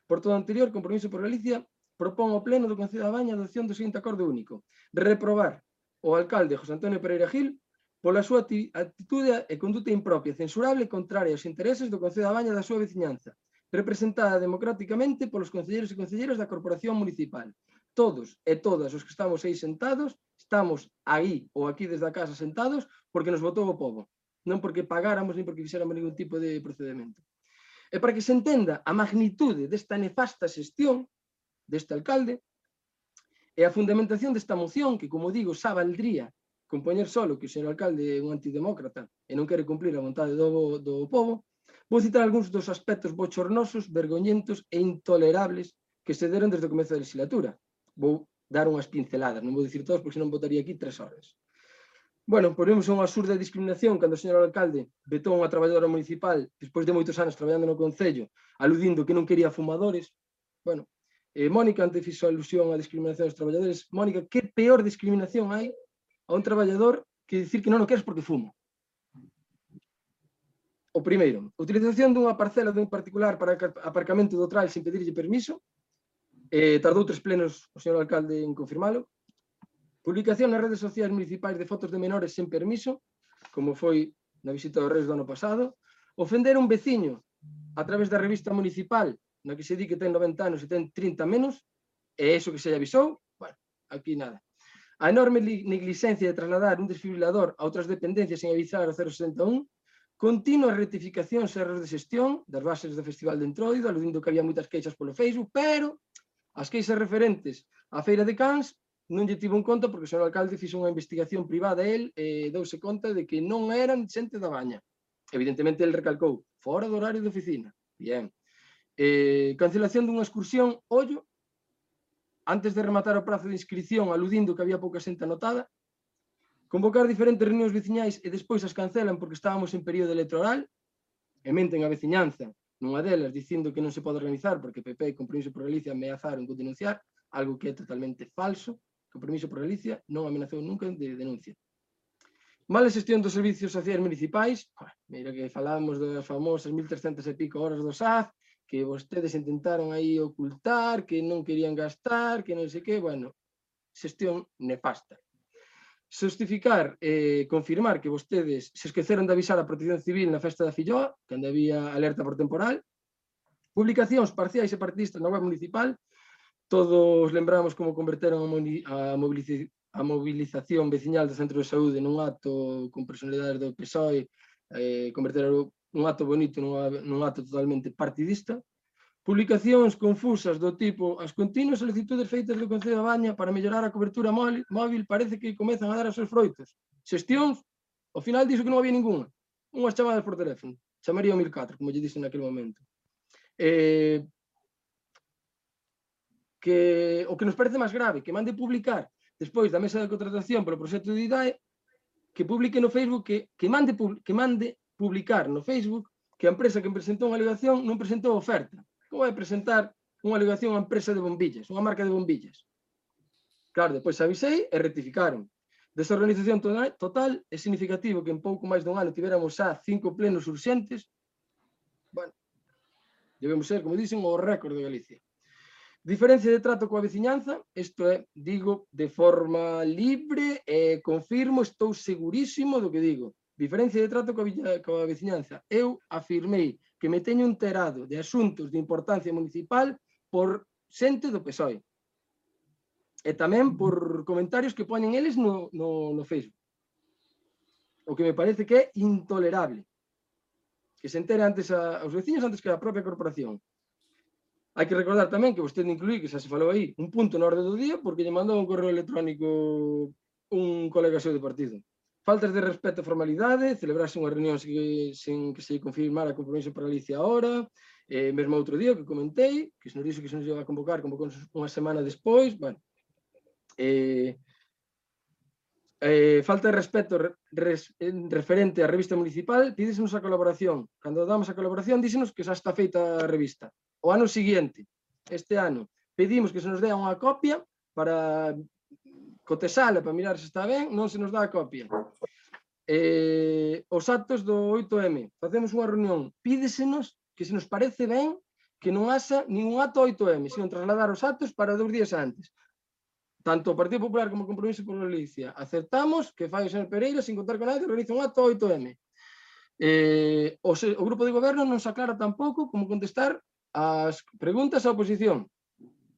Por todo o anterior, Compromiso por Galicia propón ao Pleno do Concello da Baña a adopción do seguinte acordo único: reprobar o alcalde José Antonio Pereira Gil pola súa actitude e conduta impropia, censurable e contraria aos intereses do Concello da Baña e da súa veciñanza, representada democráticamente polos concelleiros e concelleiras da Corporación Municipal. Todos e todas os que estamos aí sentados, estamos aí ou aquí desde a casa sentados porque nos votou o povo, non porque pagáramos nin porque fixéramos ningún tipo de procedimento. E para que se entenda a magnitude desta nefasta xestión deste alcalde e a fundamentación desta moción, que, como digo, xa valdría con poñer solo que o señor alcalde é un antidemócrata e non quere cumplir a vontade do povo, vou citar algúns dos aspectos bochornosos, vergoñentos e intolerables que se deron desde o comezo da legislatura. Vou dar unhas pinceladas, non vou dicir todos porque senón botaría aquí 3 horas. Bueno, ponemos unha absurda discriminación cando o señor alcalde vetou unha traballadora municipal despois de moitos anos traballando no Concello, aludindo que non quería fumadores. Bueno, Mónica antes fixo alusión á discriminación dos traballadores. Mónica, que peor discriminación hai a un traballador que dicir que non o queres porque fuma? O primeiro, a utilización dunha parcela dun particular para aparcamento do trail sin pedirlle permiso. Tardou 3 plenos o señor alcalde en confirmalo. Publicación nas redes sociais municipais de fotos de menores sen permiso, como foi na visita dos Reis do ano pasado. Ofender un veciño a través da revista municipal, na que se di que ten 90 anos e ten 30 menos, e iso que se lle avisou, bueno, aquí nada. A enorme negligencia de trasladar un desfibrilador a outras dependencias sen avisar ao 061, continuas rectificacións e erros de xestión das bases do Festival de Entroido, aludindo que había moitas queixas polo Facebook, pero as queixas referentes á Feira de Cans non lle tivo en conta porque o señor alcalde fixo unha investigación privada a él e douse conta de que non eran xente da Baña. Evidentemente, el recalcou, fora do horario de oficina. Bien. Cancelación dunha excursión, ollo, antes de rematar o prazo de inscripción, aludindo que había pouca xente anotada. Convocar diferentes reunións veciñais e despois as cancelan porque estábamos en período electoral e menten a veciñanza nunha delas dicindo que non se pode organizar porque PP e Compromiso por Galicia ameazaron con denunciar, algo que é totalmente falso. Compromiso por Galicia non amenazou nunca de denuncia. Mala xestión dos servicios sociais municipais. Mira que falábamos das famosas 1.300 e pico horas do SAF, que vostedes intentaron aí ocultar, que non querían gastar, que non sei que, bueno, xestión nefasta. Justificar, confirmar que vostedes se esqueceron de avisar a Protección Civil na festa da Filloa, cando había alerta por temporal. Publicacións parciais e partidistas na web municipal. Todos lembramos como converteron a movilización veciñal do centro de saúde nun acto con personalidades do PSOE, converteron un acto bonito nun acto totalmente partidista. Publicacións confusas do tipo as continuas solicitudes feitas do Concello da Baña para mellorar a cobertura móvil parece que comezan a dar os seus froitos. Xestións, ao final dixo que non había ninguna. Unhas chamadas por teléfono. Chamaría o 1004, como lle dixen naquele momento. O que nos parece máis grave, que mande publicar despois da mesa de contratación polo proxecto de IDAE, que publique no Facebook, que mande publicar no Facebook que a empresa que presentou unha alegación non presentou oferta. Como vai presentar unha alegación a empresa de bombillas, unha marca de bombillas? Claro, depois avisei e rectificaron. Desorganización total, é significativo que en pouco máis dun ano tiveramos xa 5 plenos urxentes. Bueno, debemos ser, como dicen, o récord de Galicia. Diferencia de trato coa veciñanza, isto é, digo de forma libre e confirmo, estou segurísimo do que digo. Diferencia de trato coa veciñanza. Eu afirmei que me teño enterado de asuntos de importancia municipal por xente do PSOE. E tamén por comentarios que poñen eles no Facebook. O que me parece que é intolerable. Que se entere antes aos veciños antes que a propia corporación. Hai que recordar tamén que vostede incluí, que xa se falou aí, un punto na orde do día porque lle mandou un correo electrónico un colega seu de partido. Faltas de respeto a formalidade, celebrarse unha reunión sen que se confirmara Compromiso por Galicia ahora, mesmo outro día que comentei, que se nos dixo que se nos iba a convocar unha semana despois, bueno. Falta de respeto referente á revista municipal, pídesenos a colaboración. Cando damos a colaboración, dísenos que xa está feita a revista. O ano seguinte, este ano, pedimos que se nos dea unha copia para cotesala, para mirar se está ben, non se nos dá a copia. Os actos do 8M, facemos unha reunión, pídesenos que se nos parece ben que non haxa ningún acto 8M, sino trasladar os actos para 2 días antes. Tanto o Partido Popular como o Compromiso por Galicia aceptamos que fai o señor Pereira sin contar con nadie, realiza un acto 8M. O grupo de goberno non se aclara tampouco como contestar as preguntas á oposición.